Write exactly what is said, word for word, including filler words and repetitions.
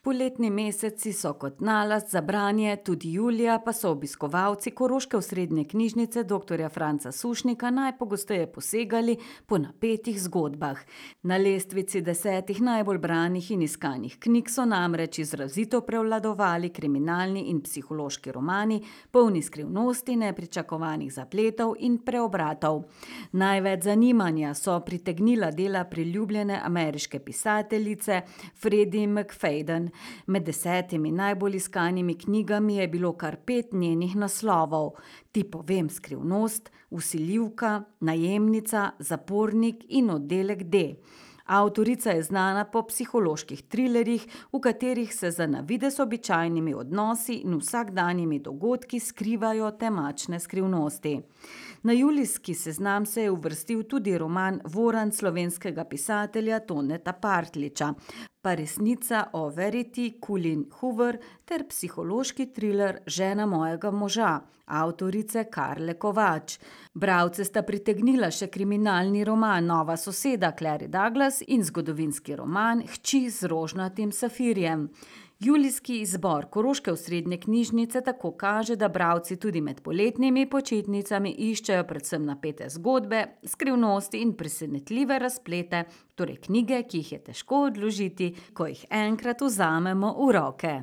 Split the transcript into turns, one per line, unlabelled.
Poletni meseci so kot nalašč za branje, tudi julija pa so obiskovalci koroške osrednje knjižnice doktorja Franca Sušnika najpogosteje posegali po napetih zgodbah. Na lestvici desetih najbolj branih in iskanih knjig so namreč izrazito prevladovali kriminalni in psihološki romani, polni skrivnosti, nepričakovanih zapletov in preobratov. Največ zanimanja so pritegnila dela priljubljene ameriške pisateljice Freddie McFadden. Med desetimi najbolj iskanimi knjigami je bilo kar pet njenih naslovov: Ti povem skrivnost, Vsiljivka, Najemnica, Zapornik in Oddelek D. Avtorica je znana po psiholoških trilerjih, v katerih se za na videz običajnimi odnosi in vsakdanjimi dogodki skrivajo temačne skrivnosti. Na julijski seznam se je uvrstil tudi roman Voran slovenskega pisatelja Toneta Partljiča, pa resnica o Verity Coolin Hoover ter psihološki triler Žena mojega moža, avtorice Karle Kovač. Bralce sta pritegnila še kriminalni roman Nova soseda Clary Douglas in zgodovinski roman Hči z rožnatim safirjem. Julijski izbor koroške osrednje knjižnice tako kaže, da bralci tudi med poletnimi počitnicami iščejo predvsem napete zgodbe, skrivnosti in presenetljive razplete, torej knjige, ki jih je težko odložiti, ko jih enkrat vzamemo v roke.